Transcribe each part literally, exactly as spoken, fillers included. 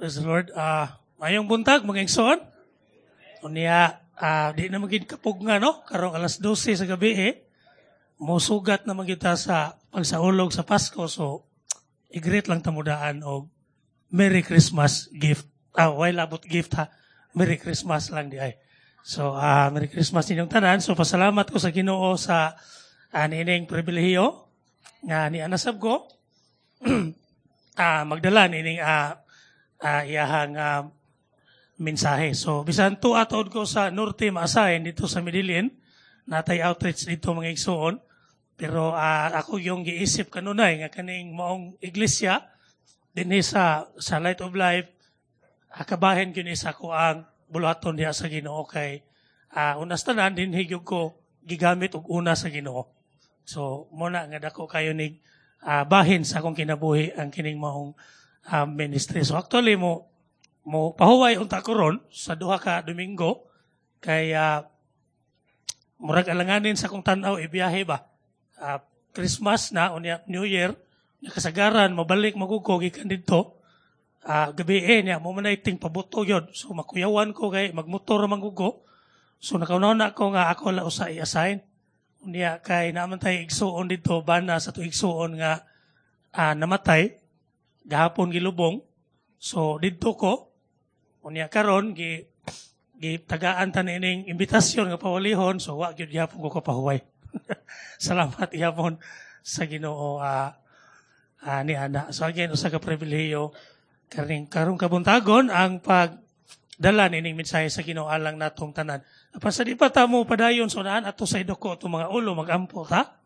Praise the Lord. Ah, maayong buntag mga igsoon. Unya, ah, di na magid kapug nga no, karong alas dose sa gabi eh. Mosugat na man kita sa pagsaulog sa Pasko, so i-greet lang ta mo daan og Merry Christmas gift. Ah, way labot gift ha. Merry Christmas lang di ay. So, ah, Merry Christmas ninyong tanan. So, pasalamat ko sa Ginoo sa uh, niining pribilehiyo nga ni anasab ko ah, magdala niining ah, ah, iyahang ah, mensahe. So, bisan tuad ko sa Norte ma-assign dito sa Medellin, natay outreach dito mga igsoon. Pero ah, ako yung giisip kanunay nga kaning maong iglesia dinhi sa sa Light of Life, kabahin gyud ni sa ako ang buluhaton diha sa Ginoo kay uh, unas tanan dinhi gyud ko gigamit og una sa Ginoo. So mo na nga dako kayo ni uh, bahin sa akong kinabuhi ang kining maong uh, ministry. So actually mo mo pahuway unta ko ron sa duha ka Domingo kay uh, murag alanganin sa akong tan-aw ibiyahe ba. Uh, Christmas na unya New Year, nakasagaran mabalik maguko gikan didto. Uh, gabi eh niya mo man ting pabuto yun. So makuyawan ko kay magmotor man ko. So nakauna ko nga ako la usa i-assign. Unya kay naman tay igsuon didto bana sa to igsuon nga uh, namatay gahapon gilubong. So didto ko unya karon gi gitagaan ta niining imbitasyon nga pawalihon, so wa gyud gihapon ko kapahuway. Salamat gihapon sa Ginoo uh, uh, ni ana. So again, usa ka pribilehiyo karing karong kabuntagon ang pagdala nining mensahe sa Ginoo alang natong tanan. Apan sa di pa ta mo padayon sa unahan, ato sa iduko atong mga ulo, magampo ta.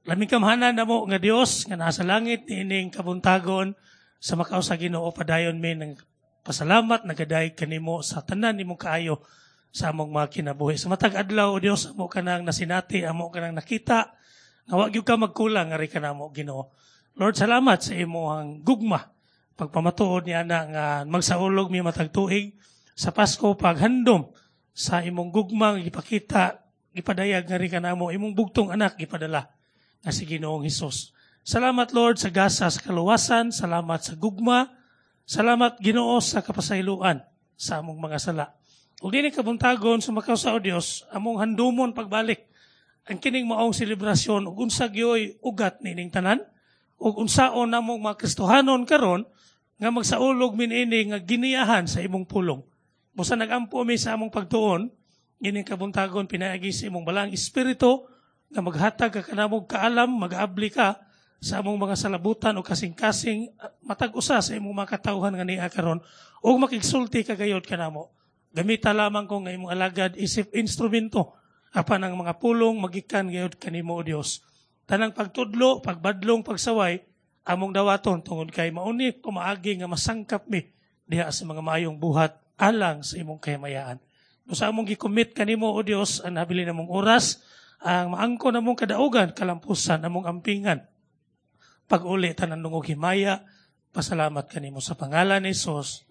Labing gamhanan namo nga Dios nga nasa langit, niining kabuntagon sa makaw sa Ginoo padayon mi ng pasalamat nagadayeg kanimo sa tanan nimong kaayo sa among mga kinabuhi. Sa matag adlaw, o Dios, amo kanang nasinati, amo kanang nakita nga wa gyud ka magkulang ngari kanamo, Ginoo. Lord, salamat sa imong gugma. Pagpamatuod niya na nga magsaulog mi matag tuig sa Pasko, paghandom sa imong gugma gipakita, gipadayag ngari kanamo, imong bugtong anak gipadala nga si Ginoong Hesus. Salamat, Lord, sa gasa sa kaluwasan, salamat sa gugma, salamat, Ginoo, sa kapasayloan sa among mga sala. Ug dinhi kabuntagon sa makaw sa o Dios, among handumon pagbalik ang kining maong selebrasyon ug unsa gyoy ugat nining tanan ug unsaon namong mga Kristohanon karon nga magsaulog mi niini nga giniyahan sa imong pulong. Busa nagampo mi sa among pagtuon, ining kabuntagon pinaagi sa imong balaang espiritu nga maghatag ka kanamog kaalam, magaabli ka sa among mga salabutan o kasing-kasing matag usa sa imong mga katawhan nga niya karon ug makigsulti ka gayod kanamo. Gamita lamang ko nga imong alagad isip instrumento apan ang mga pulong magikan gayod kanimo, o Dios. Tanang pagtudlo, pagbadlong, pagsaway among dawaton tungod kay mauni kumaagi nga masangkap mi diha sa mga maayong buhat alang sa imong kahimayaan. No sa among gi-commit kanimo, o Dios, ang nabilin namong oras, ang maangko namong kadaugan, kalampusan among ampingan. Pag-uli tanan dungog himaya, pasalamat kanimo sa pangalan ni Jesus.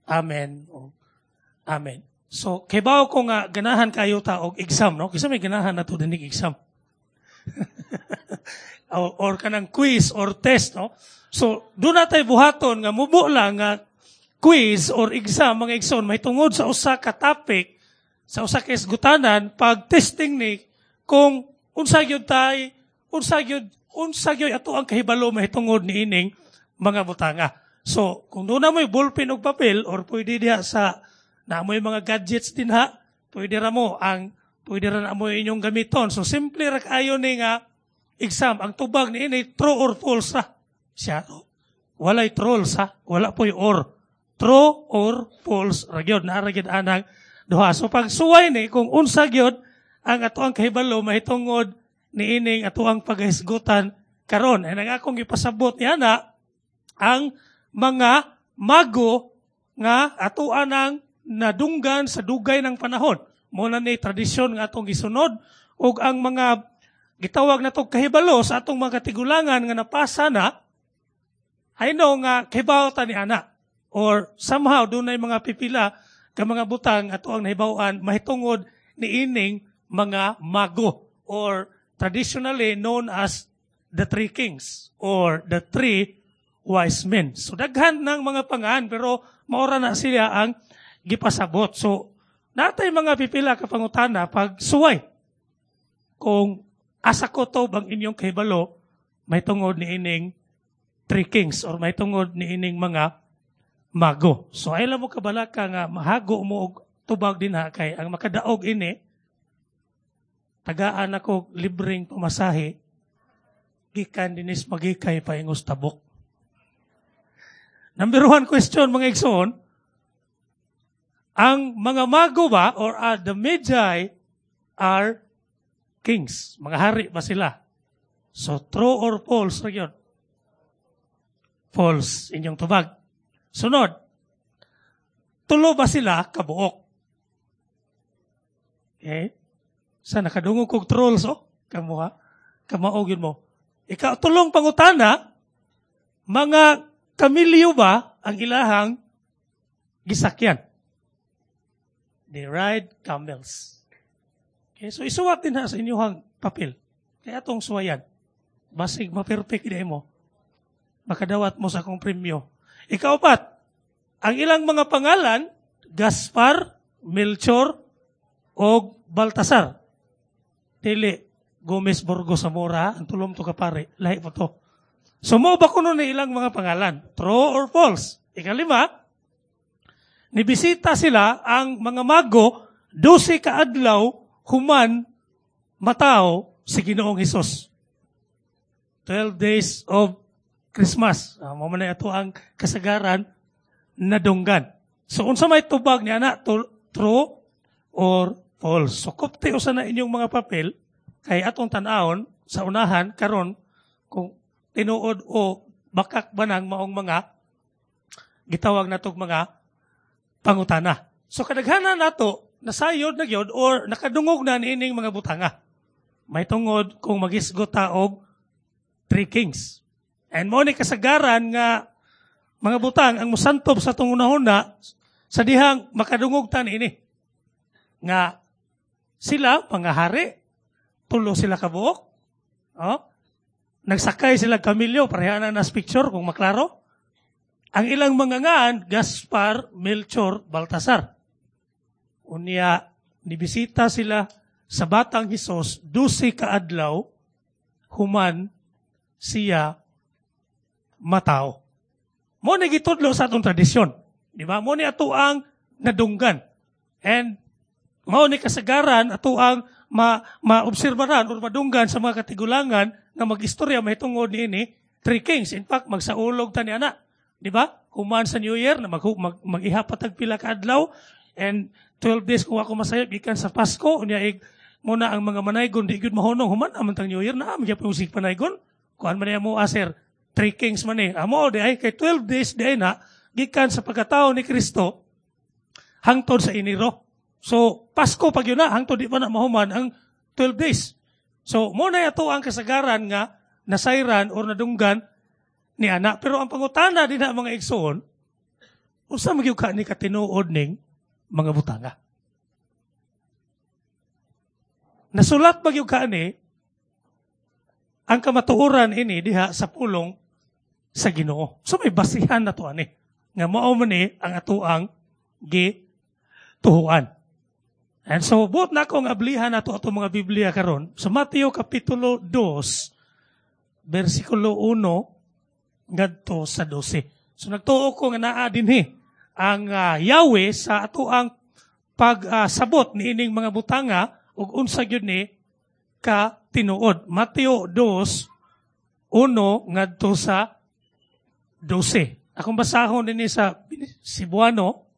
Amen. Amen. So, kibaw ko nga ganahan kayo ta og exam, no? Kinsa may ganahan na to dinig exam? or, or kanang quiz or test, no? So, doon na tayo buhaton nga mubo lang nga quiz or exam, mga igsoon, may tungod sa usa ka topic, sa usa ka isgutanan, pag testing ni kung unsa gyud tay, unsa gyud, unsa gyud ato ang kahibalo mahitungod niining mga butanga. So, kung doon na mo'y ballpen og papel or pwede diha sa na mo'y mga gadgets din ha, pwede ra mo ang pwede ra na mo inyong gamiton. So, simple ra kaayo ni nga exam. Ang tubag ni ini, true or false ra. Siya, walay trolls ha, wala po'y or. True or false ra gyud, naa ra gyud anang duha. So, pag suway ni kung unsa gyud ang ato ang kahibalo mahitungod niining ato ang paghisgutan karon. Ay ang akong gipasabot niya na ang mga mago nga ato anang nadunggan sa dugay ng panahon. Mo na ni tradisyon nga atong gisunod ug ang mga gitawag nato kahibalo sa atong mga katigulangan nga napasa na, I know nga kahibaw ta ni ana or somehow dunay mga pipila ka mga butang ato ang nahibaw-an mahitungod niining mga mago or traditionally known as the three kings or the three wise men. So daghan ng mga pangan pero maura na sila ang gipasabot. So natay mga pipila ka pangutana pag suway. Kung asa ko to bang inyong kahibalo, may tungod ni ining three kings or may tungod ni ining mga mago. So ay mo kabalaka nga mahago mo og tubag din ha kay ang makadaog ini tagaan ako libreng pamasahe gikan dinis magikay paingos tabok. Number one question mga igsoon, ang mga mago ba or uh, the Magi are kings? Mga hari ba sila? So true or false ra yun? False inyong tubag. Sunod, tulo ba sila kabuok? Okay? Sa nakadungog kog trolls, oh, kamuha, kamaog yun mo. Ikaw, tulong pangutana, mga kamilyo ba ang ilahang gisakyan? They ride camels. Okay, so isuwat din ha sa inyong papel. Kaya atong suwayan. Basig ma-perfect di mo. Makadawat mo sa akong premyo. Ikaapat, ang ilang mga pangalan, Gaspar, Melchor, o Baltasar. Dili, Gomez Burgos Zamora, ang tulom to kapare, lahi po to. So mo ba kuno ni ilang mga pangalan? True or false? Ikalima, nibisita sila ang mga mago, dose ka adlaw, human matao si Ginoong Hesus. twelve days of Christmas. Uh, mo man ato ang kasagaran nadunggan. So unsa may tubag niya na true or false? So kupti usa na inyong mga papel kay atong tan-awon sa unahan karon kung tinuod o bakak ba nang maong mga gitawag natog mga pangutana. So kadaghanan nato nasayod na gyud or nakadungog na niining mga butanga. May tungod kung magisgot ta og Three Kings. And mo ni kasagaran nga mga butang ang musantob sa atong unahuna sa dihang makadungog ta niini. Nga sila mga hari, tulo sila kabuok. Oh? Nagsakay sila kamilyo, pareha na nas picture kung maklaro. Ang ilang mga ngaan, Gaspar, Melchor, Baltasar. Unya, nibisita sila sa batang Hesus, dusi ka adlaw, human siya matao. Mo ni gitudlo sa atong tradisyon. Di ba? Mo ni ato ang nadunggan. And mao ni kasagaran ato ang ma maobserbaran or madunggan sa mga katigulangan nga magistorya mahitungod niini Three Kings. In fact, magsaulog ta ni ana. Di ba? Human sa New Year na mag, mag, mag-iha patag pila ka adlaw and twelve days kung ako masayop gikan sa Pasko unya ig muna ang mga manaygon di gyud mahunong human aman tang New Year na am gyapon sig panaygon kuan man niya mo aser Three Kings man ni amo di ay kay twelve days di ay na gikan sa pagkatao ni Kristo hangtod sa Enero. So Pasko pag yun na hangtod di pa na mahuman ang twelve days. So mo na ato ang kasagaran nga nasayran or nadunggan ni ana. Pero ang pangutana din na mga igsoon, unsa man gyud ka ni katinuod ning mga butanga? Nasulat ba gyud ka ni ang kamatuoran ini diha sa pulong sa Ginoo. So may basihan na to ani nga mao man ni ang atoang gituhuan. And so buot na akong ablihan nato ato mga Biblia karon sa Mateo kapitulo two bersikulo one ngadto sa dose. So nagtuo ko nga naa dinhi ang uh, Yahweh sa atoang pagsabot uh, niining mga butanga ug unsa gyud ni ka tinuod. Mateo two one ngadto sa dose. Akong basahon dinhi sa Cebuano,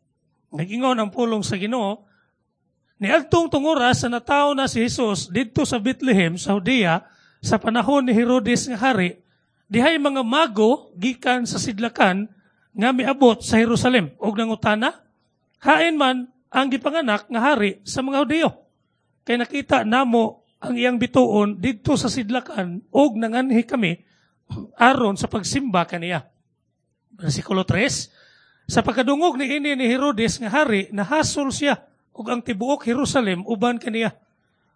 nag-ingon ang pulong sa Ginoo, niadtong tungura sa natawo na si Jesus didto sa Bethlehem sa Judea sa panahon ni Herodes nga hari, dihay mga mago gikan sa sidlakan nga miabot sa Jerusalem og nangutana, hain man ang gipanganak nga hari sa mga Hudiyo. Kay nakita namo ang iyang bituon didto sa sidlakan og nanganhi kami aron sa pagsimba kaniya. Bersikulo three, sa pagkadungog ni ini ni Herodes nga hari, nahasol siya ug ang tibuok Jerusalem uban kaniya.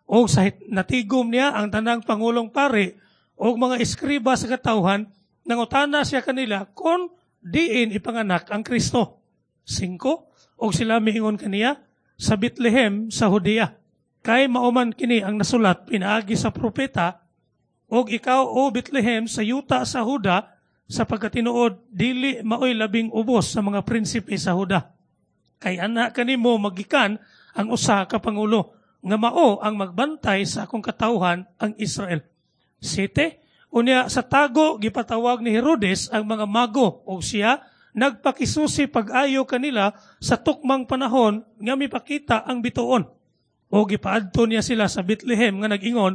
Og sa natigom niya ang tanang pangulong pari og mga eskriba sa katawhan Nangutana siya kanila kung diin ipanganak ang Kristo. Singko, og sila miingon kaniya sa Bethlehem sa Judea. Kay mao man kini ang nasulat pinaagi sa propeta, og ikaw o Bethlehem sa yuta sa Juda, sa pagkatinuod dili maoy labing ubos sa mga prinsipe sa Juda. Kay ana kanimo magikan ang usa ka pangulo nga mao ang magbantay sa akong katawhan ang Israel. Siyete, unya sa tago gipatawag ni Herodes ang mga mago og siya nagpakisusi pag-ayo kanila sa tukmang panahon nga mipakita ang bituon. O gipaadto niya sila sa Bethlehem nga nag-ingon,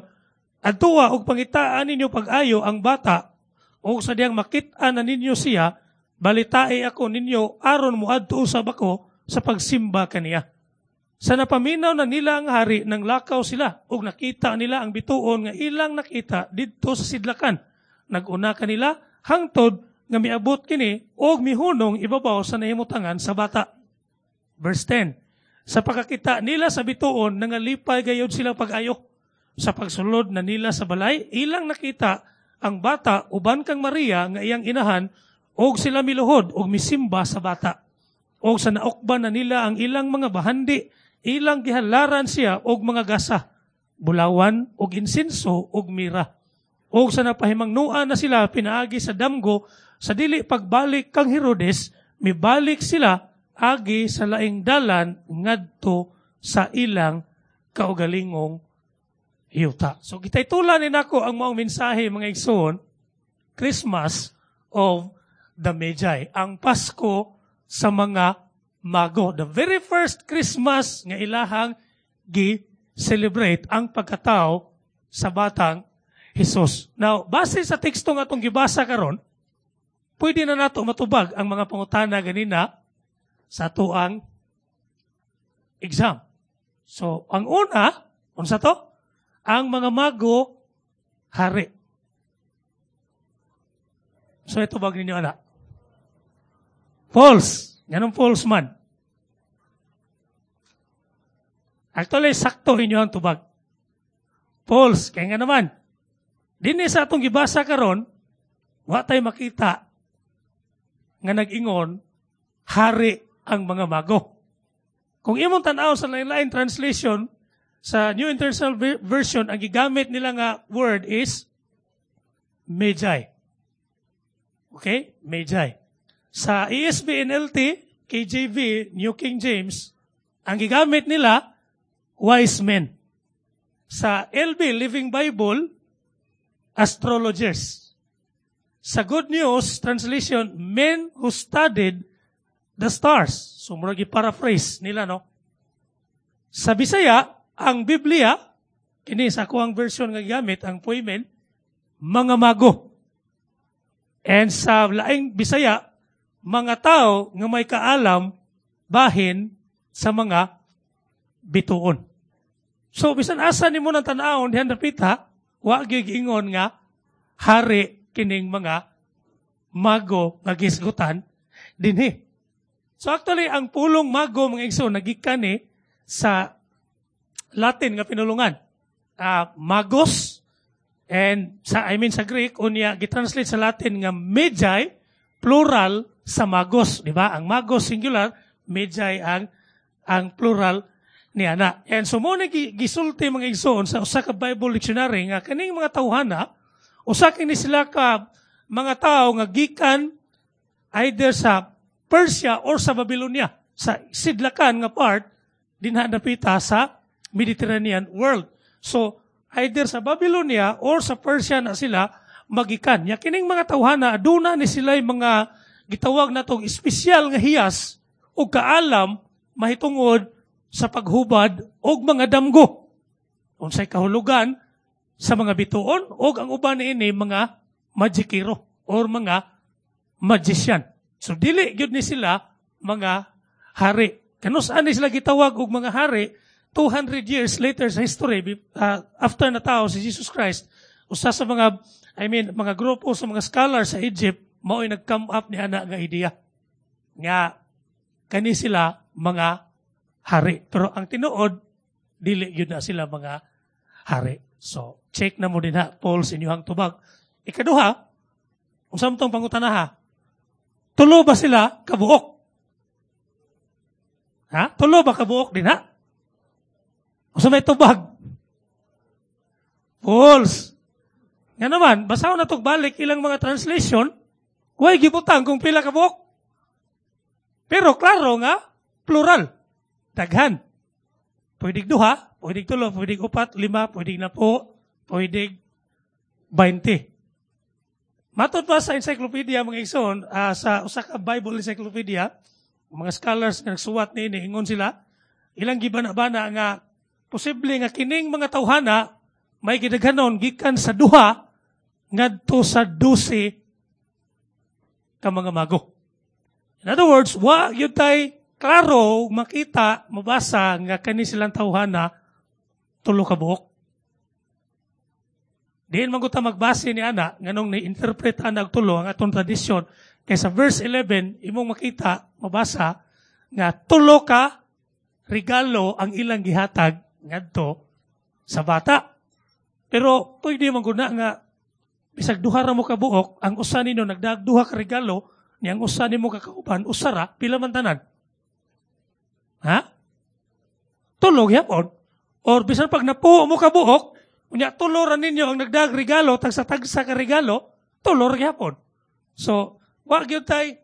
adtoa og pangitaan ninyo pag-ayo ang bata og sa diyang makit-an na ninyo siya, balitae ako ninyo aron moadto usab ako sa pagsimba kaniya. Sa napaminaw na nila ang hari, nang lakaw sila ug nakita nila ang bituon nga ilang nakita didto sa sidlakan. Nag-una kanila hangtod nga miabot kini og mihunong ibabaw sa nahimutangan sa bata. Verse ten. Sa pagkakita nila sa bituon, nangalipay gayod sila pag-ayo. Sa pagsulod na nila sa balay, ilang nakita ang bata uban kang Maria nga iyang inahan og sila miluhod og misimba sa bata. Og sa naukban na nila ang ilang mga bahandi, ilang gihalaran siya og mga gasa, bulawan og insenso og mira. Og sa napahimangnuan na sila pinaagi sa damgo, sa dili pagbalik kang Herodes, mibalik sila agi sa laing dalan ngadto sa ilang kaugalingong yuta. So gitaytulan ni nako ang maong mensahe mga igsoon, Christmas of the Magi, ang Pasko sa mga mago. The very first Christmas nga ilahang gi-celebrate ang pagkatao sa batang Jesus. Now, base sa teksto nga atong gibasa karon, pwede na nato matubag ang mga pangutana ganina sa atuang exam. So, ang una, unsa to? Ang mga mago, hari. So, ito bag ninyo, ana? False. Ganun false man. Actually, sakto inyo ang tubag. False. Kaya nga naman, dinhi sa atong gibasa karon, wa tay makita nga nag-ingon, hari ang mga mago. Kung imong tan-aw sa lain-lain translation, sa New International Version, ang gigamit nila nga word is Magi. Okay? Magi. Sa E S V N L T, K J V, New King James, ang gigamit nila, wise men. Sa L B, Living Bible, astrologers. Sa Good News Translation, men who studied the stars. So, murag i-paraphrase nila, no? Sa Bisaya, ang Biblia, kini sa akuang version nga gigamit, ang poimen, mga mago. And sa laing Bisaya, mga tao nga may kaalam bahin sa mga bituon. So, bisan asa nimo nang tan-awon dihan dapita, wa gyud giingon nga hari kining mga mago nga gisgutan dinhi. So actually, ang pulong mago mga igsoon nagikan ni sa Latin nga pinulungan. Uh, magos, and sa, I mean sa Greek, unya gitranslate sa Latin nga magi, plural sa magos, di ba? Ang magos singular, magi ang ang plural niya na. And so mo na gisulti mga igsoon sa usa ka Bible dictionary nga kaning mga tawhana, usa kini sila ka mga tao nga gikan either sa Persia or sa Babylonia, sa sidlakan nga part dinha dapita sa Mediterranean world. So either sa Babylonia or sa Persia na sila magikan. Ya kining mga tawhana aduna ni sila mga gitawag natong espesyal nga hiyas o kaalam mahitungod sa paghubad og mga damgo. Unsay kahulugan sa mga bituon og ang uban niini mga magikero or mga magician. So dili gyud ni sila mga hari. Kanus-an ni sila gitawag og mga hari two hundred years later sa history, uh, after natao si Jesus Christ, usa sa mga, I mean, mga grupo sa mga scholars sa Egypt, mao'y nag-come up ni ana nga idea nga kani sila mga hari. Pero ang tinuod, dili gyud na sila mga hari. So, check na mo din ha, Paul, sa inyong tubag. Ikaduha, Unsa man tong pangutana ha? Tulo ba sila kabuok? Ha? Tulo ba kabuok din ha? Unsa may tubag? False. Nga naman, basahon na balik ilang mga translation, way gibutang kung pila kabuok. Pero klaro nga, plural. Daghan. Pwedeng duha, pwedeng tulo, pwedeng upat, lima, pwedeng napo, pwedeng twenty. Matod pa sa encyclopedia, mga igsoon, uh, sa usa ka Bible encyclopedia, mga scholars nga nagsuwat niini, ingon sila, ilang gibana-bana nga posible nga kining mga tawhana may gidaghanon gikan sa duha ngadto sa dose ka mga mago. In other words, wa gyud tay klaro makita, mabasa nga kani silang tawhana tulo ka buok. Diin man gud ta magbase ni ana nganong ni-interpret ana og tulo ang atong tradisyon, kay sa verse eleven imong makita, mabasa nga tulo ka regalo ang ilang gihatag ngadto sa bata. Pero pwede man gud na nga bisag duha ra mo ka buok, ang usa nino nagdaag duha ka regalo, ni ang usa nimo ka kauban usa ra, pila man tanan? Ha? Tulo gyapon. Or bisan pag napuo mo ka buok, unya tulo ra ninyo ang nagdaag regalo, tagsa-tagsa ka regalo, tulo ra gyapon. So, wa gyud tay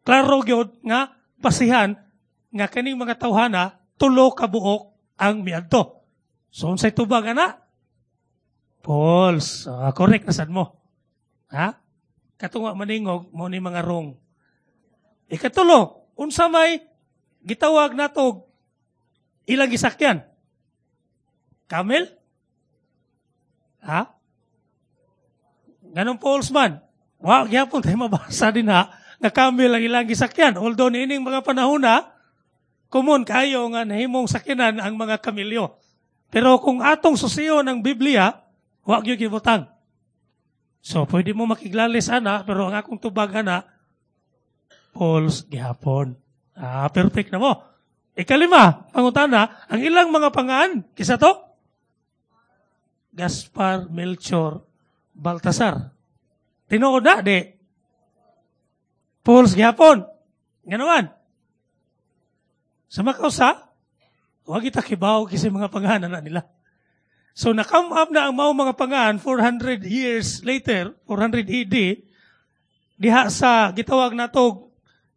klaro gyud nga basihan nga kaning mga tawhana tulo ka buok ang miadto. So unsay tubag ana? False. Uh, correct na sad mo. Ha? Katong maningog mo ni mga wrong. Ikatulo, unsa may gitawag nato ilang gisakyan? Camel? Ha? Ganong false man. Wa gyapon tayo mabasa din ha nga camel ang ilang gisakyan. Although niining mga panahon na common kayo nga nahimong sakyanan ang mga kamelyo. Pero kung atong susiyo ng Biblia, wa gyud gibutang. So pwede mo makiglalis ana, pero ang akong tubag ana false gihapon. Ah, perfect na mo. Ikalima, pangutana, ang ilang mga pangaan, kisa to? Gaspar, Melchor, Baltasar. Tinuod na, di. False gihapon. Nga naman. Sa makausa, wag kita kibaw kasi mga pangalan na nila. So, na-come up na ang mao mga pangalan four hundred years later, four hundred A D, diha sa gitawag nato,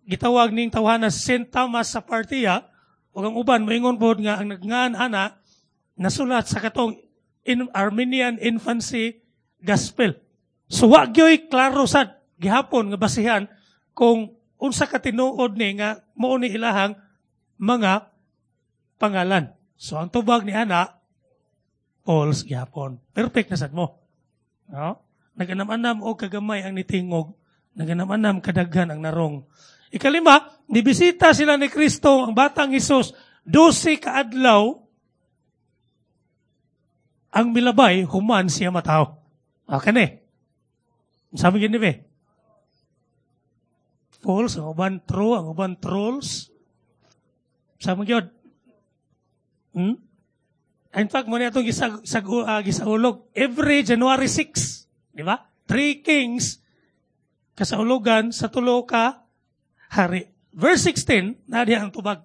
gitawag ning tawhana Saint Thomas sa Parthia, ug ang uban moingon pod nga ang nagngan ana nasulat sa katong in Armenian Infancy Gospel. So wa gyoy klaro sad gihapon nga basihan kung unsa ka tinuod ni nga mao ni ilahang mga pangalan. So ang tubag ni ana, false gihapon. Perfect na sad mo. No? Naganam-anam og kagamay ang nitingog, naganam-anam kadaghan ang narong. Ikalima, nibisita sila ni Kristo ang batang Hesus dose ka adlaw ang milabay human siya mataw. Ah, kani. Sabi gini be? False, ang uban true, ang uban trolls. Sabi gyud. Hmm? In fact, mo atong gisag, sag, uh, gisaulog every January six, di ba? Three Kings kasaulugan sa tulo ka hari. Verse sixteen, na ang tubag.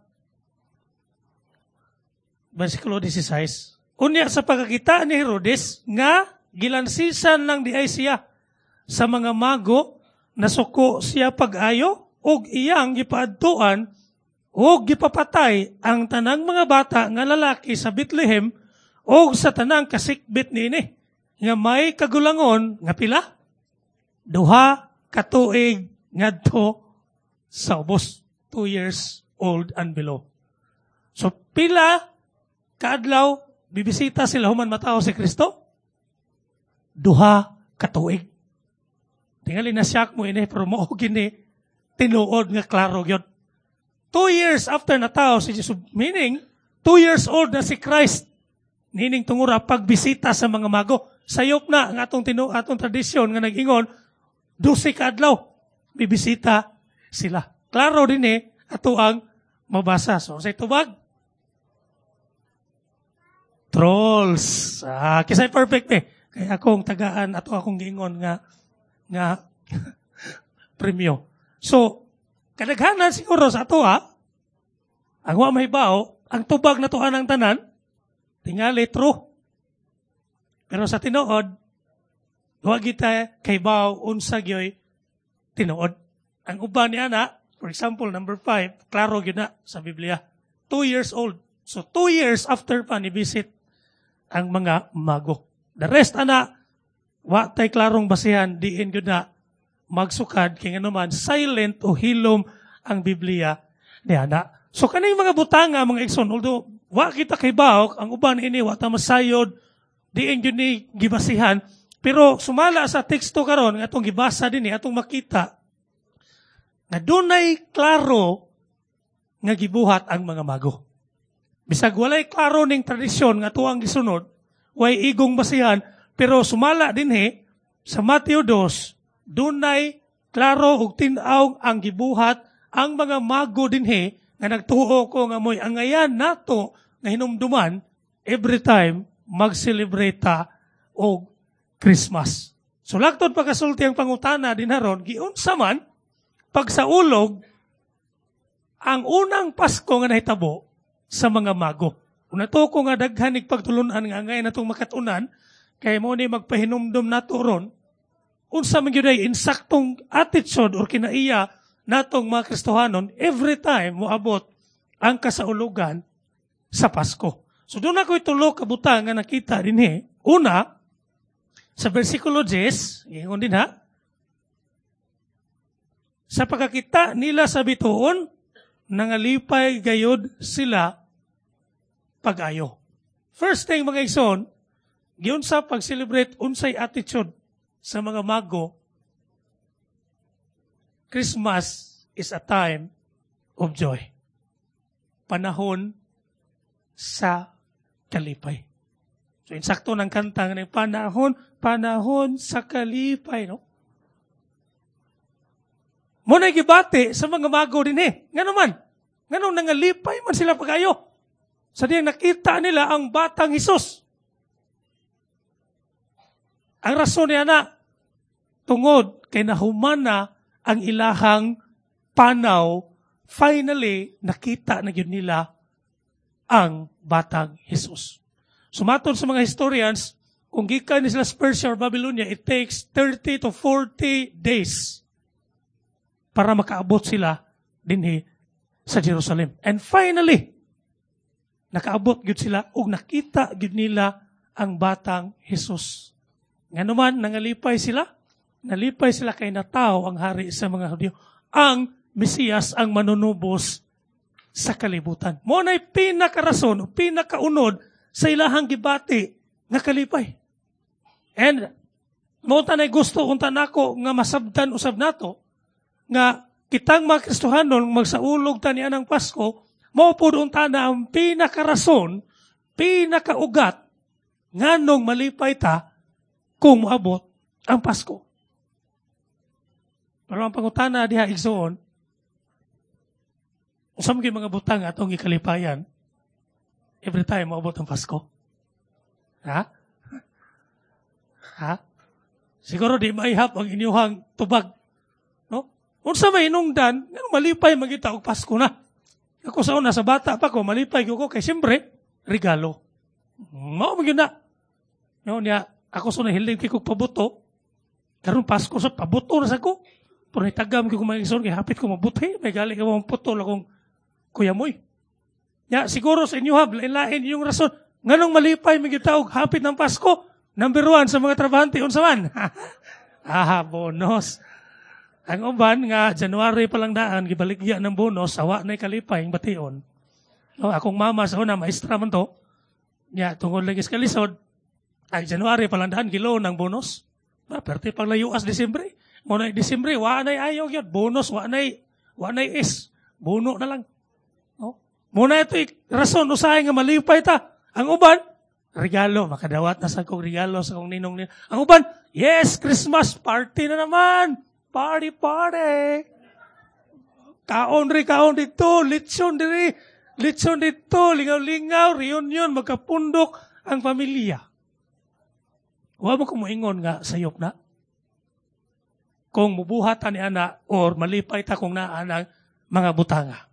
Versikulo sixteen. Unya sa pagkakita ni Herodes nga gilansisan lang di ay siya sa mga mago, nasuko siya pag-ayo ug iyang gipaadtuan ug gipapatay ang tanang mga bata nga lalaki sa Bethlehem ug sa tanang kasikbit niini nga may kagulangon nga pila? Duha ka tuig ngadto sa ubos, two years old and below. So pila kaadlaw bibisita sila human matao si Kristo? Duha ka tuig. Tingali na siyak mo ini, pero mao gini tinuod nga klaro gyud. Two years after natao si Jesus, meaning two years old na si Christ. Nining tungura pagbisita sa mga mago. Sayop na ang atong tinu atong tradisyon nga nag-ingon dose ka adlaw bibisita sila. Klaro din eh ato ang mabasa. So say tubag? Trolls. Ah, kisay perfect eh. Kaya akong tagaan ato akong giingon nga nga Premyo. So, kadaghanan siguro sa ato ha, ang wa mahibaw, ang tubag na tuan ang tanan, tingali true. Pero sa tinuod, wa kita kahibaw unsa gyoy tinuod. Ang uban niya na, for example, number five, klaro gyud na sa Biblia. Two years old. So, two years after pa ni visit ang mga mago. The rest, ana, wa tay klarong basihan, diin gyud na magsukad, kay ngano man, silent o hilom ang Biblia niya na. So, kaning mga butanga, mga igsoon, although, wa kita kahibaw, ang uban ini, wa ta masayod, diin gyud ni gibasihan, pero sumala sa teksto karon nga atong gibasa dinhi atong makita nga dunay klaro nga gibuhat ang mga mago. Bisag walay klaro ning tradisyon nga tuang gisunod, way igong basihan, pero sumala dinhi sa Mateo two, dunay klaro ug tin-aw ang gibuhat ang mga mago dinhi nga nagtuo ko nga mo'y angayan nato nga hinumduman every time mag-celebrate ta og Christmas. So laktod pagkasulti ang pangutana din haron, giunsa man pagsaulog ang unang Pasko nga nahitabo sa mga mago. Una to ko nga daghan ig pagtulunan nga angay natong makatunan kay mo ni magpahinumdum nato ron unsa man gyud ay insaktong attitude or kinaiya natong mga Kristohanon every time moabot ang kasaulugan sa Pasko. So doon ako'y tulo ka butang nga nakita dinhi. Una, sa versikulo ten, ingon din ha, sa pagkakita nila sa bituon, nangalipay gayod sila pag-ayo. First thing mga igsoon, giunsa pag-celebrate unsay attitude sa mga mago, Christmas is a time of joy. Panahon sa kalipay. So, insakto ng kanta ng panahon, panahon sa kalipay, no? Mo na gibati sa mga mago din eh. Ngano man? Ngano nangalipay man sila pag-ayo? Sa diyang nakita nila ang batang Hesus. Ang rason niya na, tungod kay nahumana ang ilahang panaw, finally, nakita na yun nila ang batang Hesus. Sumatod sa mga historians, kung gikan ni sila sa Persia or Babylonia, it takes thirty to forty days para makaabot sila dinhi sa Jerusalem. And finally, nakaabot gyud sila ug nakita gyud nila ang batang Hesus. Ngano man nangalipay sila, nalipay sila kay natawo ang hari sa mga Hudyo, ang Mesiyas, ang manunubos sa kalibutan. Mo na'y pinakarason o pinakaunod sa ilahang gibati nga kalipay. And mo tanay gusto unta nako nga masabdan usab nato nga kitang mga Kristohanon magsaulog ta niya ng Pasko, mao pud unta na ang pinakarason, pinakaugat nganong malipay ta kung moabot ang Pasko. Pero ang pangutana diha igsoon, unsa man mga butang atong gikalipayan every time moabot ang Pasko? Ha? Ha? Siguro di maihap ang inyuhang tubag. No? Unsa may hinungdan, ngano malipay magita og Pasko na. Ako sa una, sa bata pa ko, malipay ko kay siyempre, regalo. Mao man gyud na. No, niya, ako sa nahiling kay kog pabuto, karon Pasko sa pabuto na sa ko. Pero nitagam ko mga igsoon, kay hapit ko mabuti, may gali ka mong putol akong kuya moy. Ya, siguro sa inyo hab, lain-lain yung rason. Nganong malipay magyud og hapit ng Pasko? Number one sa mga trabahante, unsa man? Ah, bonus. Ang uban nga, January pa lang daan, gibaligya ng bonus, awa na'y kalipay, ang bation. No, akong mama sa una, maestra man to. Ya, tungod lagi sa kalisod, ang January pa lang daan, gilo ng bonus. Ah, perti pang layuas Disyembre. Mo na Disyembre, wa na'y ayaw yun. Bonus, wa na'y, wa na'y is. Bono na lang. No? Muna ito, rason, usahay nga malipay ta. Ang uban, regalo. Makadawat na sa kong regalo sa kong ninong nila. Ang uban, yes, Christmas party na naman. Party, party. Kaon ri, kaon dito. Litson diri. Litson dito. Lingaw-lingaw, reunion, magkapundok ang pamilya. Wa mo kumuingon nga sayop na. kung mubuhat ta ni ana or malipay ta kung naa ng mga butanga.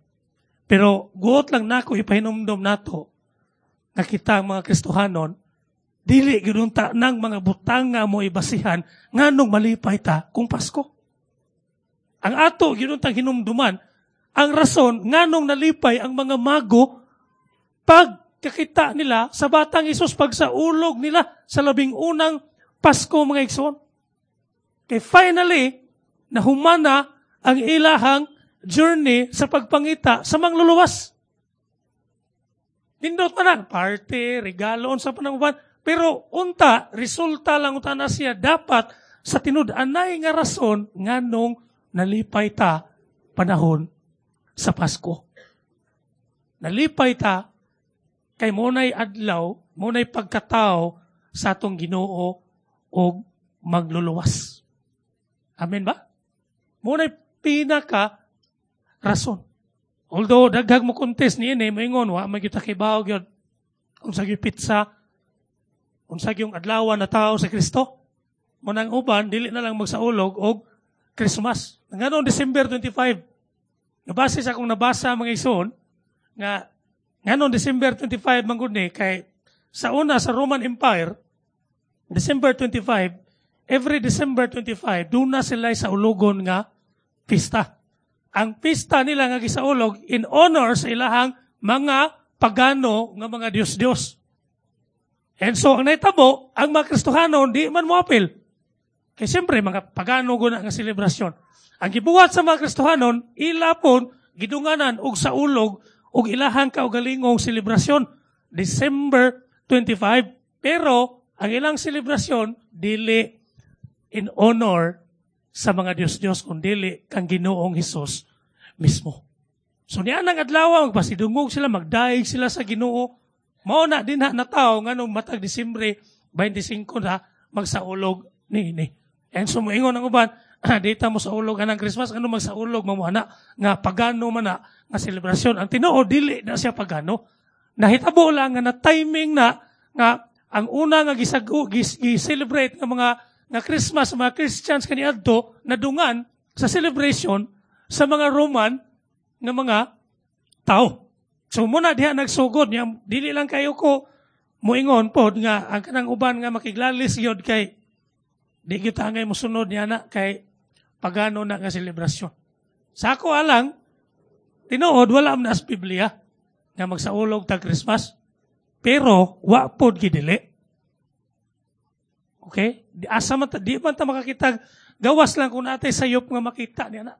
Pero guot lang nako ipahinumdom nato nga kita ang mga Kristohanon, dili gyud unta ng mga butanga mo ibasihan nganong malipay ta kung Pasko. Ang ato gyud untang hinumduman ang rason nganong nalipay ang mga mago pagkakita nila sa batang Hesus, pag sa ulog nila sa labing unang Pasko, mga igsoon. Kay finally, nahumana ang ilahang journey sa pagpangita sa mangluluwas. Nindot man na, party, regalo, unsa pa nang uban. Pero unta, resulta lang unta na siya dapat sa tinud-anay nga rason nganong nalipay ta panahon sa Pasko. Nalipay ta kay munay adlaw, munay pagkatao sa atong Ginoo og magluluwas. Amen ba? Munay pinaka rason. Although daghang mo contest niini, moingon wa man gyud ta kibaw gyud unsa gyud petsa, unsa gyud adlaw na tao sa Kristo. Mo nang uban dili na lang magsaulog og Christmas. Nganong December twenty-five? Nabasa sa akong nabasa, mga igsoon, nga nganong December twenty-five man gud ni, kay sa una sa Roman Empire, December twenty-five, every December twenty-five duna sila sa ulogon nga pista. Ang pista nila nga gisaulog in honor sa ilahang mga pagano nga mga Diyos-Diyos. And so, ang nahitabo, ang mga Kristohano, di man mo apil. Kay siyempre, mga pagano guna nga selebrasyon. Ang gibuhat sa mga Kristohanon, ila pon, gidunganan og saulog og ilahang kaugalingong selebrasyon, December twenty-five. Pero, ang ilang selebrasyon, dili in honor sa mga Diyos-Diyos, kundili kang Ginoong Hesus mismo. So niya nang adlaw, magpasidungog sila, magdaig sila sa Ginoo. Mao na din na tao nganong matag Disyembre twenty-five na magsaulog ni ini. And so moingon ang uban, di ta mo saulog anang Christmas, ano magsaulog mo ana nga pagano man na nga selebrasyon? Ang tinuod, dili na siya pagano. Nahitabo lang nga na timing na nga ang una nga gisagu gis, gi-celebrate nga mga nga Christmas mga Christians kaniadto nadungan sa celebration sa mga Roman nga mga tao. So muna diha nagsugod niya, dili lang kayo ko moingon pod nga ang kanang uban nga makiglalis gyud kay di gyud angay mosunod niya na kay pagano na nga selebrasyon. Sa ako alang, tinuod wala man sa Biblia nga magsaulog tag Christmas. Pero wa pod gidili. Okay? Di asa man ta, di man ta makakita, gawas lang kung natay sayop nga makita niya na.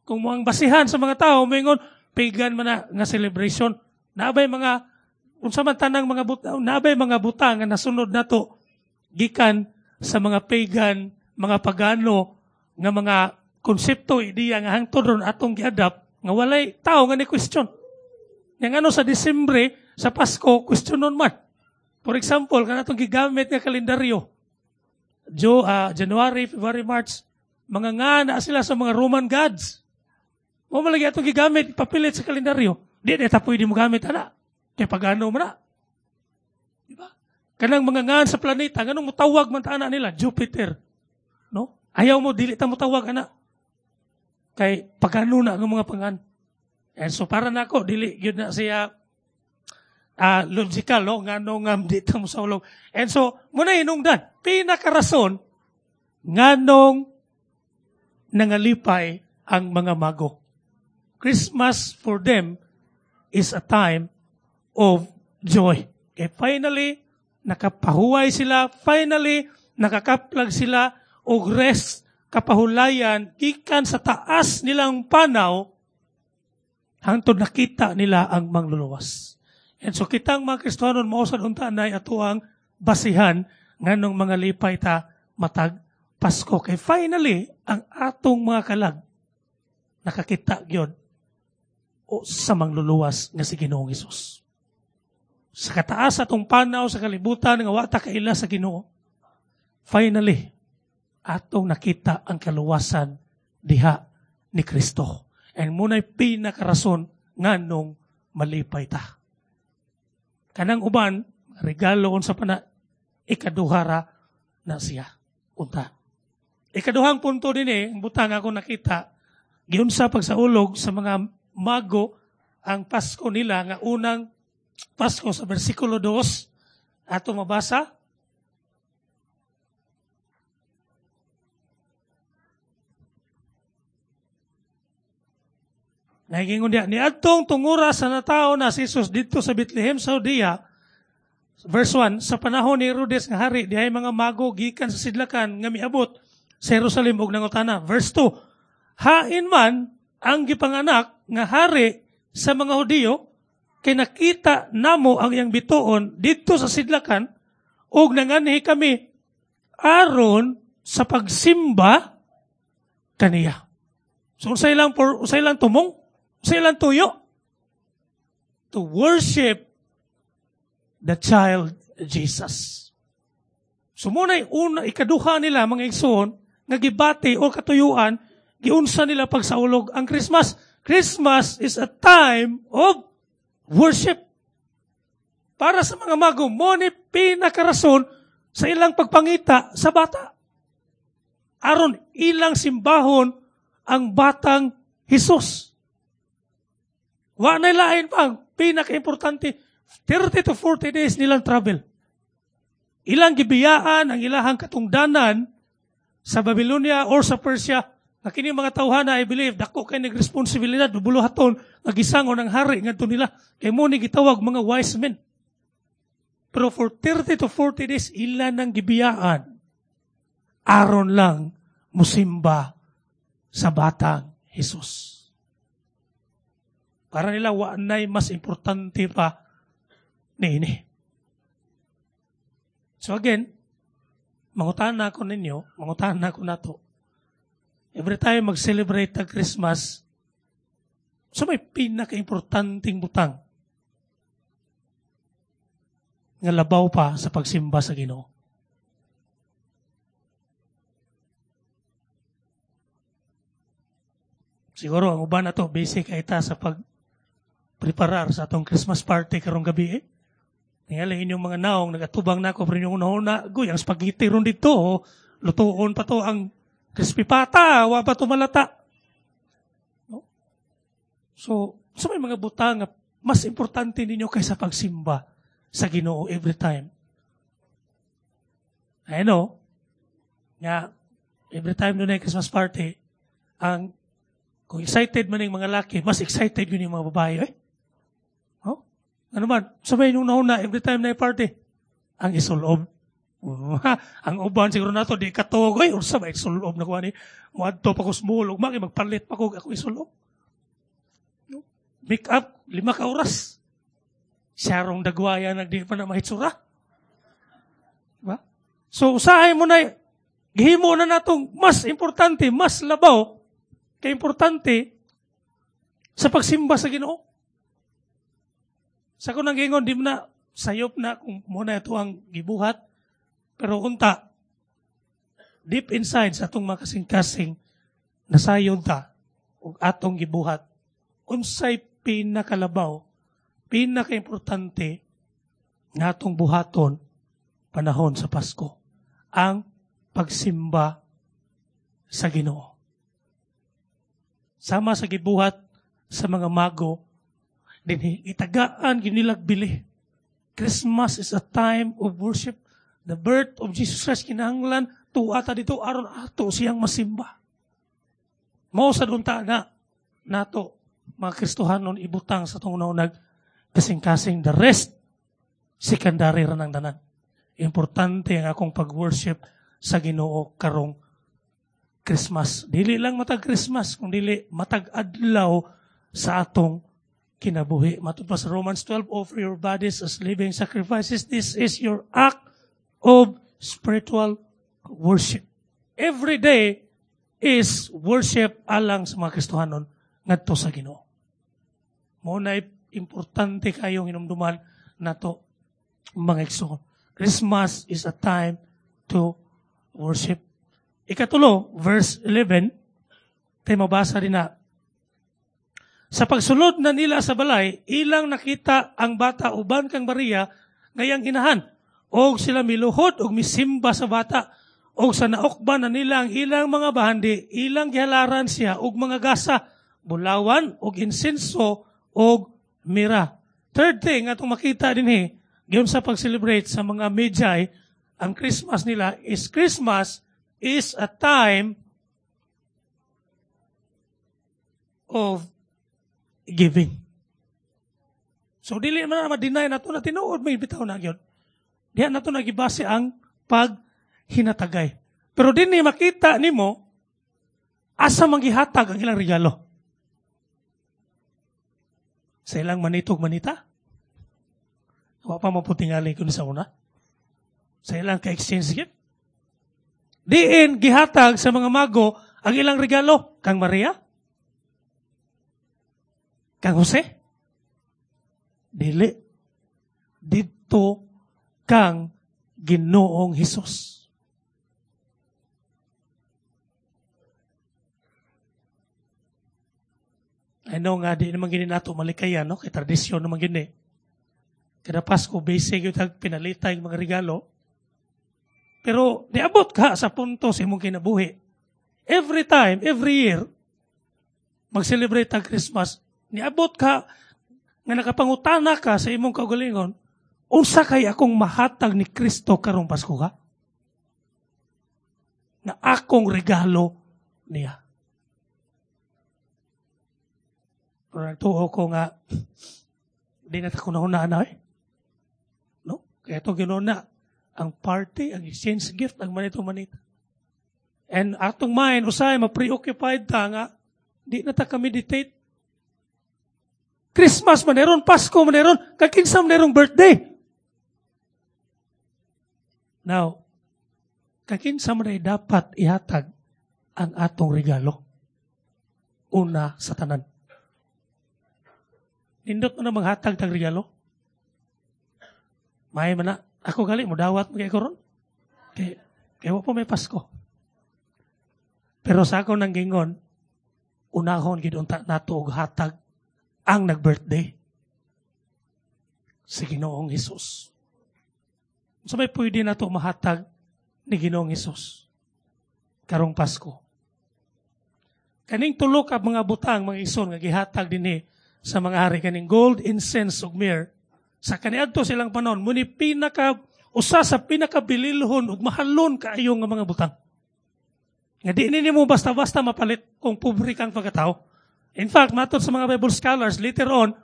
Kung mo ang basihan sa mga tao, moingon pagan man na nga celebration. Naabay mga unsa man tanang mga butang, naabay mga butang nga nasunod nato gikan sa mga pagan, mga pagano nga mga konsepto, ideya nga hangtod ron atong giadapt nga walay tao nga ni question. Yang ano sa Disyembre, sa Pasko, questionon man. For example, kanatong gigamit nga kalendaryo. Jo, uh, January, February, March, mga nga na sila sa mga Roman gods. Mo malagi atong gigamit, papilit sa kalendaryo. Di na ta pwede mo gamit ana. Kay pagano man na. Di ba? Kanang mga ngan sa planeta, nganong mutawag man ta ana nila? Jupiter. No? Ayaw mo, dili ta mutawag ana. Kay pagano na ang mga pangan. And so para nako dili gyud na siya uh, logical, no, ngano nga di ta mo saulog. And so muna hinungdan pinakarason nganong nangalipay ang mga mago. Christmas for them is a time of joy. Okay, finally, nakapahuway sila. Finally, nakakaplag sila og rest, kapahulayan, gikan sa taas nilang panaw, hangtod nakita nila ang mangluluwas. And so kitang mga Kristohanon, mao sad unta nay ato ang basihan nganong mga lipay ta matag Pasko. Kay finally, ang atong mga kalag nakakita gyud o sa mangluluwas nga si Ginoong Hesus. Sa kataas atong panaw sa kalibutan nga wa ta kaila sa Ginoo, finally, atong nakita ang kaluwasan diha ni Kristo. And muna'y pinakarason nganong malipay ta. Kanang uban, regalo unsa pa na, ikaduhara na siya. Unta. Ikaduhang punto din eh, ang butang ako nakita, giunsa pagsaulog sa mga mago ang Pasko nila nga unang Pasko sa versikulo two, ato mabasa. Nagingon diya, niadtong tungura sa natao na si Jesus didto sa Bethlehem sa Judea, verse one, sa panahon ni Herodes nga hari, dihay mga mago gikan sa sidlakan nga miabot sa Jerusalem og nangutana. Verse two, hain man ang gipanganak nga hari sa mga Hudiyo, kay nakita namo ang iyang bituon didto sa sidlakan ug nanganhi kami aron sa pagsimba kaniya. So unsay lang por unsay lang tumong, unsay lang tuyo, to worship the child Jesus. So muna'y una ikaduha nila mga igsoon nga gibati o katuyuan, giunsa nila pagsaulog ang Christmas. Christmas is a time of worship. Para sa mga mago, mo ni pinakarason sa ilang pagpangita sa bata. Aron ilang simbahon ang batang Jesus. Wa na lain pa ang pinakaimportante, thirty to forty days nilang travel. Ilang gibiyaan ang ilahang katungdanan sa Babylonia or sa Persia. Na kini mga tawhana, I believe, dako kay nagresponsibilidad, buluhaton, nagisango ng hari ngadto nila. Kay mo ni gitawag mga wise men. Pero for thirty to forty days, ila nang gibiyaan. Aron lang musimba sa batang Jesus. Para nila, wa na'y mas importante pa niini. So again, mangutana ko ninyo, mangutana ko nato. Every time mag-celebrate ang Christmas, so may pinaka-importanting butang nga labaw pa sa pagsimba sa Ginoo. Siguro ang uban na to, busy kay ta sa pag-preparar sa atong Christmas party karong gabi eh. Tingali inyong mga naong, nagatubang na ako, pero inyong una-una, guy, ang spaghetti ron dito, oh, lutuon pa to ang crispy pata, wa pa to malata. No? So, sa may mga butang nga mas importante ninyo kaysa pagsimba sa Ginoo every time. I know, nga, every time doon ay Christmas party, ang kung excited man yung mga laki, mas excited yun yung mga babae, eh. Oh? Ano man, sabay nung nauna, every time na party, ang isulob. Ang uban siguro nato di katuog, ay, unsa ba isulob na kuha ni? Muadto pa ko smulog, maki magpalit pa ko ako isulob. No? Make up, lima ka oras. Siyarong dagwaya nagdi pa na mahitsura. Diba? So, usahay mo na, gihimo na natong mas importante, mas labaw, kay importante sa pagsimba sa Ginoo. Sa kunang gingon, di mo na sayop na kung muna ito ang gibuhat, pero unta, deep inside sa atong makasing-kasing, nasayod ta og atong gibuhat. Unsay pinakalabaw, pinakaimportante nga atong buhaton panahon sa Pasko, ang pagsimba sa Ginoo. Sama sa gibuhat sa mga mago, dinhi itagaan ginilag bili. Christmas is a time of worship. The birth of Jesus Christ kinahanglan tuwa ta dito aron ato siyang masimba. Mao sad unta na nato mga Kristohanon ibutang sa atong unang kasing-kasing, the rest secondary ra nang tanan. Importante ang akong pag-worship sa Ginoo karong Christmas. Dili lang matag Christmas, kung dili matag adlaw sa atong kinabuhi. Matud pa sa Romans twelve, offer your bodies as living sacrifices. This is your act of spiritual worship. Every day is worship alang sa mga Kristohanon ngadto sa Ginoo. Mao na importante kayong hinumduman nato mga igsoon. Christmas is a time to worship. Ikatulo, verse eleven, tayo mabasa din na, sa pagsulod na nila sa balay, ilang nakita ang bata uban kang Maria ngayang inahan. Og sila miluhod og misimba sa bata. Og sa naukban na nila ang ilang mga bahandi, ilang gihalaran siya og mga gasa, bulawan og insenso og mira. Third thing atong makita dinhi, giyon sa pag-celebrate sa mga Magi, ang Christmas nila is Christmas is a time of giving. So dili man na ma-deny nato na tinuod may bitaw na gyud. Diha nato nagibase ang paghinatagay. Pero dinhi makita nimo asa man gihatag ang ilang regalo. Sa ilang manitog manita? Wa pa maputingali kun sa una. Sa ilang ka-exchange gift. Diin gihatag sa mga mago ang ilang regalo kang Maria, kang Jose. Dili. Didto kang Ginoong Hesus. I know nga, di naman gini nato malikayan, no? Kay tradisyon naman gini. Kada Pasko, basic yung pinalita yung mga regalo. Pero niabot ka sa punto sa imong kinabuhi. Every time, every year, mag-celebrate ang Christmas, niabot ka nga nakapangutana ka sa imong kaugalingon, unsa kay akong mahatag ni Kristo karong Pasko ka? Na akong regalo niya. Pero nagtuo ko nga, di na ta kunahuna na eh. No? Kaya ito ginuna, ang party, ang exchange gift, ang manito-manita. And atong mind, usay, ma-preoccupied ta nga, di na ta ka-meditate. Christmas man meron, Pasko man meron, kakinsa man merong birthday. Now, kakinsa man ay dapat ihatag ang atong regalo. Una sa tanan. Nindot mo na maghatag tag regalo. May man na, ako gali, mudawat mo kay koron. Kay, kay wa pa may Pasko. Pero sa ako nang gingon, unahon gid unta nato og hatag ang nag-birthday si Ginoong Hesus. So may pwede na ito mahatag ni Ginoong Hesus karong Pasko. Kaning tulo ka mga butang, mga ison nga gihatag dinhi sa mga hari, kaning gold, incense ug myrrh. Sa kaniadto silang panon, muni pinaka usa sa pinakabililhon ug mahalon kaayo nga mga butang. Nga di nimo basta-basta mapalit kung pobre kang pagkatao. In fact, matod sa mga Bible scholars, later on,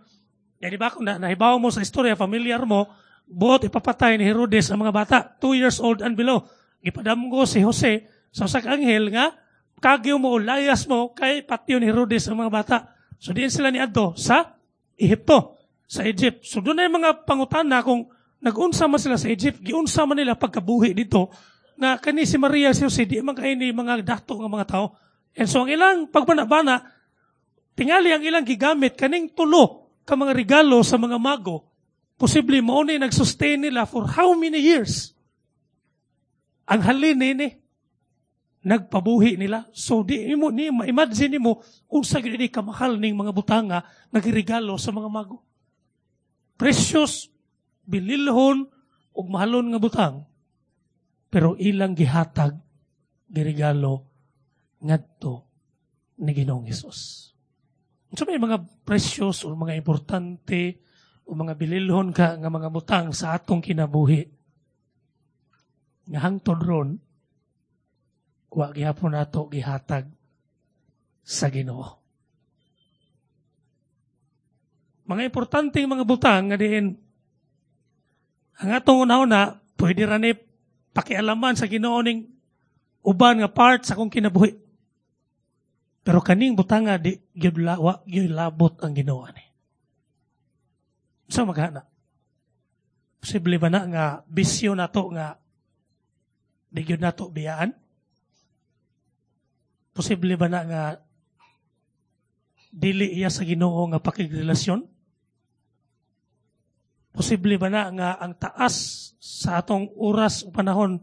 ya di ba kung na, nahibaw mo sa istorya, familiar mo, buot ipapatay ni Herodes ang mga bata, two years old and below. Gipadamgo si Jose sa usa ka anghel nga kagyo mo, layas mo, kay patyon ni Herodes ang mga bata. So diin sila niadto sa Ehipto, sa Egypt. So doon ay mga pangutana kung nag-unsa man sila sa Egypt, giunsa man nila pagkabuhi dito, na kani si Maria si Jose, di man kay ni mga dato nga mga tao. And so ang ilang pagbana-bana, tingali ang ilang gigamit kaning tulo ka mga regalo sa mga mago, posible mao ni nag-sustain nila for how many years? Ang halin nini, nagpabuhi nila. So di mo ni ma-imagine nimo unsa gyud ni kamahal ning mga butanga nga giregalo sa mga mago. Precious, bililhon ug mahalon nga butang, pero ilang gihatag giregalo ngadto ni Ginoong Hesus. So may mga precious o mga importante o mga bililhon ka nga mga butang sa atong kinabuhi. Nga hangtod ron, wa gihapon nato gihatag sa Ginoo. Mga importanteng mga butang nga diin ang atong una-una, pwede ra ni pakialaman sa Ginoo ning uban nga part sa akong kinabuhi. Pero kaning butanga di gyud wa gyud labot ang Ginoo ani. Sa maghana. Posible ba na nga bisyo nato nga di gyud nato biyaan? Posible ba na nga dili iya sa Ginoo nga pakigrelasyon? Posible ba na nga ang taas sa atong oras o panahon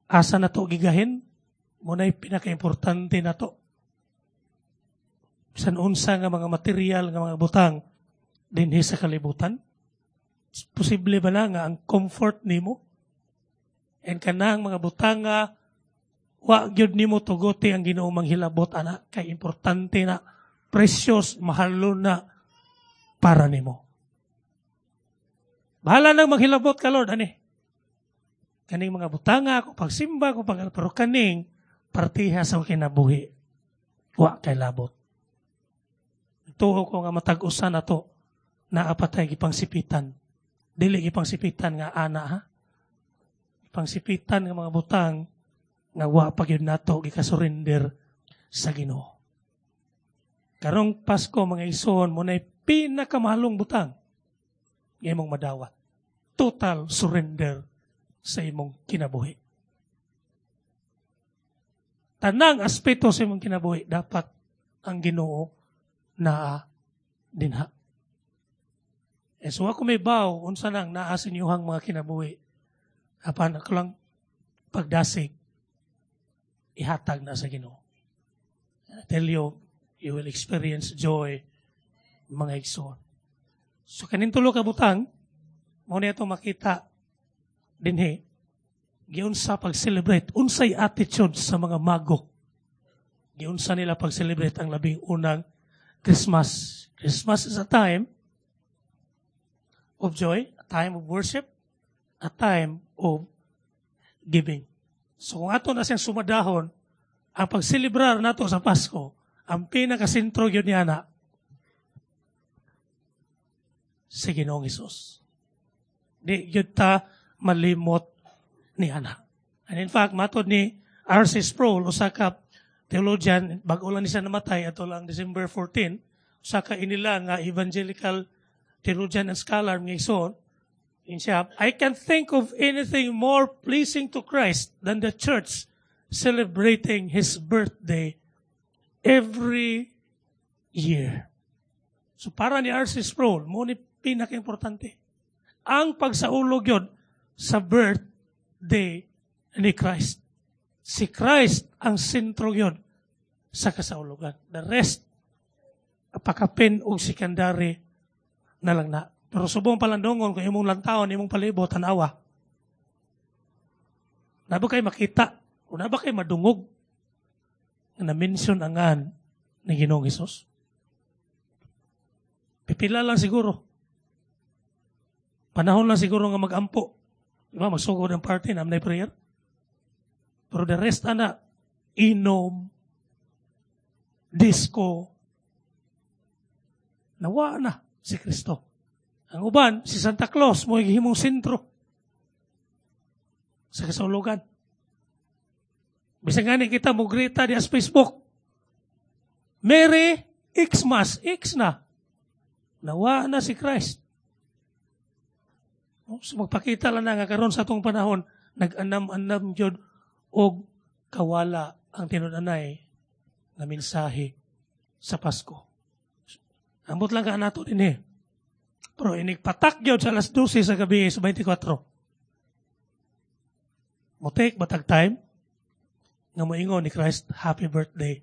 asa nato gigahin? Muna'y pinakaimportante na to. Bisan unsa nga mga material nga mga butang dinhi sa kalibutan. Posible ba na nga ang comfort nimo? And kanang mga butanga, wa gyud nimo tuguti ang Ginoo manghilabot ana kay importante na, precious, mahalon na para nimo. Bahala nang maghilabot ka, Lord, ani. Kaning mga butanga, kung pagsimba, kung pag, pero kaning partiha sa kinabuhi, wa kay labot. Tuo ko nga matag usa nato, naa pa tay gipangsipitan. Dili gipangsipitan nga ana ha. Gipangsipitan nga mga butang nga wa pa gyud nato gikasurrender sa Ginoo. Karong Pasko, mga igsoon, mao na'y pinakamahalong butang nga imong madawat. Total surrender sa imong kinabuhi. Tanang aspeto sa imong kinabuhi, dapat ang Ginoo naa dinha. E so ako may baw, unsa nang naa sa inyong mga kinabuhi. Apan ako lang pagdasig, ihatag na sa Ginoo. I tell you, you will experience joy, mga igsoon. So kaning tulo ka butang, mao ni atong makita dinhi, giunsa pag-celebrate, unsay attitude sa mga mago. Giunsa nila pag-celebrate ang labing unang Christmas. Christmas is a time of joy, a time of worship, a time of giving. So kung ato na siyang sumadahon, ang pagselebrar nato sa Pasko, ang pinakasentro gyud niya na si Ginoong Hesus. Di gyud ta malimot ni ana. And in fact, matod ni R C. Sproul, usa ka theologian, bag-o lang ni siya namatay ato lang December fourteen, usa ka inila nga evangelical theologian and scholar, mga igsoon, siya, "I can think of anything more pleasing to Christ than the church celebrating His birthday every year." So para ni R C. Sproul, mao ni pinaka-importante. Ang pagsaulog gyud sa birthday ni Christ. Si Christ ang sentro gyud sa kasaulogan. The rest, pakapin og secondary na lang na. Pero subong palandongon, kung imong lantawon, imong palibot, tanawa. Naa ba kay makita? O naa ba kay madungog nga na-mention angan ni Ginoong Hesus? Pipila lang siguro. Panahon lang siguro nga mag-ampo. Diba, magsugod ang party, naa man prayer. Pero the rest, ana, inom, disco, nawa na si Kristo. Ang uban, si Santa Claus, mao gihimong sentro sa kasaulogan. Bisan gani kita mo grita di sa Facebook. Merry Xmas, X na. Nawa na si Christ. So magpakita lang na nga karon sa atong panahon, nag-anam-anam gyud og kawala ang tinud-anay nga mensahe sa Pasko. Ambot lang ka nato din eh. Pero inig patak gyud sa alas dose sa gabi sa twenty-four. Mo-take ba tag time nga moingon ni Christ, "Happy birthday,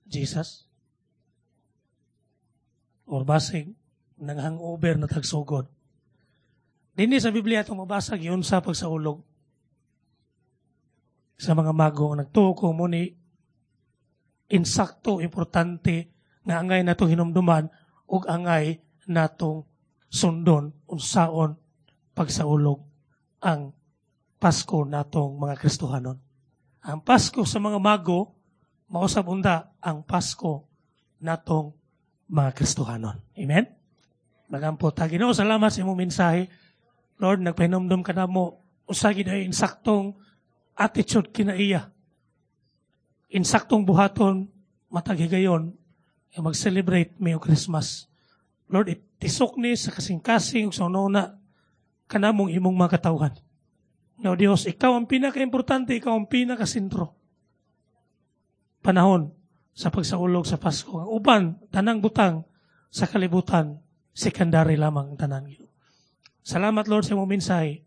Jesus"? Or basig, nang hangover na tagsugod. Dinhi sa Biblia itong mabasa giunsa pagsaulog sa mga mago. Nagtuo ko mao ni insakto importante nga angay natong hinumduman ug angay natong sundon unsaon pagsaulog ang Pasko natong mga Kristohanon. Ang Pasko sa mga mago, mausab unta ang Pasko natong mga Kristohanon. Amen? Magampo ta. Ginoo, salamat sa imong mensahe. Lord, nagpahinumdum ka namo usa gid ay insaktong attitude kinaiya. Insaktong buhaton matag higayon nga mag-celebrate mi og Christmas. Lord, itisok ni sa kasing-kasing ug sa una kanamong imong mga katawhan. No, Diyos, ikaw ang pinaka-importante, ikaw ang pinaka-sentro. Panahon sa pagsaulog sa Pasko. Ang uban, tanang butang sa kalibutan, secondary lamang ang tanan. Salamat, Lord, sa imong mensahe.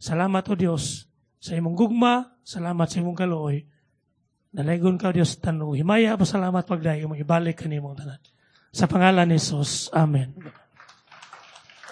Salamat, O Diyos, sa imong gugma. Salamat sa imong kaluoy. Dalaygon ka, Diyos, tanu. Himaya, pasalamat pagdayo, imong ibalik kanimong tanan. Sa pangalan ni Jesus. Amen.